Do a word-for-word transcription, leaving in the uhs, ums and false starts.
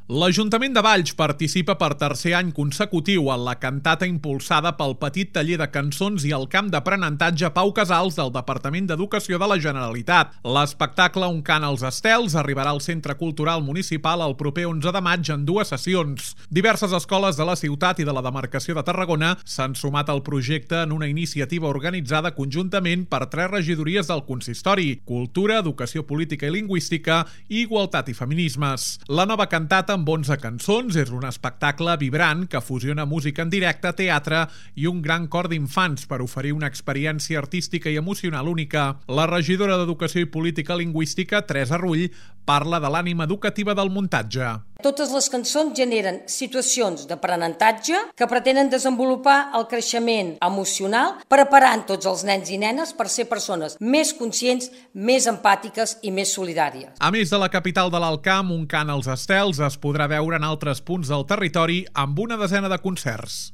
L'Ajuntament de Valls participa per tercer any consecutiu en la cantata impulsada pel Petit Taller de Cançons i el Camp d'Aprenentatge Pau Casals del Departament d'Educació de la Generalitat. L'espectacle Un cant als estels arribarà al Centre Cultural Municipal el proper onze de maig en dues sessions. Diverses escoles de la ciutat i de la demarcació de Tarragona s'han sumat al projecte en una iniciativa organitzada conjuntament per tres regidories del consistori: Cultura, Educació Política i Lingüística i Igualtat i Feminismes. La nova cantata amb onze cançons és un espectacle vibrant que fusiona música en directe, teatre i un gran cor d'infants per oferir una experiència artística i emocional única. La regidora d'Educació i Política Lingüística, Teresa Rull, parla de l'ànima educativa del muntatge. Totes les cançons generen situacions d'aprenentatge que pretenen desenvolupar el creixement emocional, preparant tots els nens i nenes per ser persones més conscients, més empàtiques i més solidàries. A més de la capital de l'Alt Camp, Un cant als estels es podrà veure en altres punts del territori amb una desena de concerts.